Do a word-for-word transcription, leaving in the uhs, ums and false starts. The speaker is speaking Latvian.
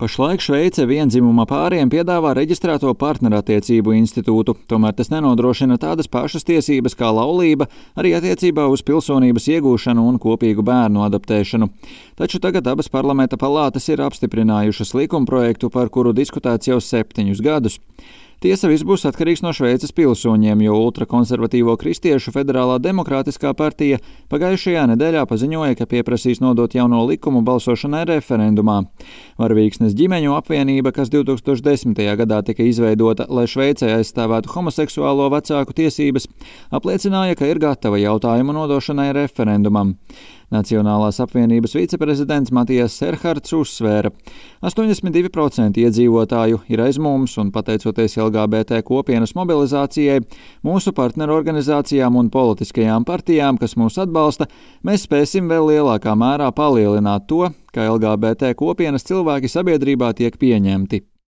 Pašlaik Šveice vienzimuma pāriem piedāvā reģistrēto partnerattiecību institūtu, tomēr tas nenodrošina tādas pašas tiesības kā laulība arī attiecībā uz pilsonības iegūšanu un kopīgu bērnu adoptēšanu. Taču tagad abas parlamenta palātas ir apstiprinājušas likumprojektu, par kuru diskutēts jau septiņus gadus. Tiesa, viss būs atkarīgs no Šveices pilsoņiem, jo ultrakonservatīvo kristiešu Federālā demokrātiskā partija pagājušajā nedēļā paziņoja, ka pieprasīs nodot jauno likumu balsošanai referendumā. Varavīksnes ģimeņu apvienība, kas divi tūkstoši desmitajā gadā tika izveidota, lai Šveicē aizstāvētu homoseksuālo vecāku tiesības, apliecināja, ka ir gatava jautājumu nodošanai referendumam. Nacionālās apvienības viceprezidents Matijas Serhards uzsvēra, ka astoņdesmit divi procenti iedzīvotāju ir aiz mums un, pateicoties L G B T kopienas mobilizācijai, mūsu partnerorganizācijām un politiskajām partijām, kas mūs atbalsta, mēs spēsim vēl lielākā mērā palielināt to, ka L G B T kopienas cilvēki sabiedrībā tiek pieņemti.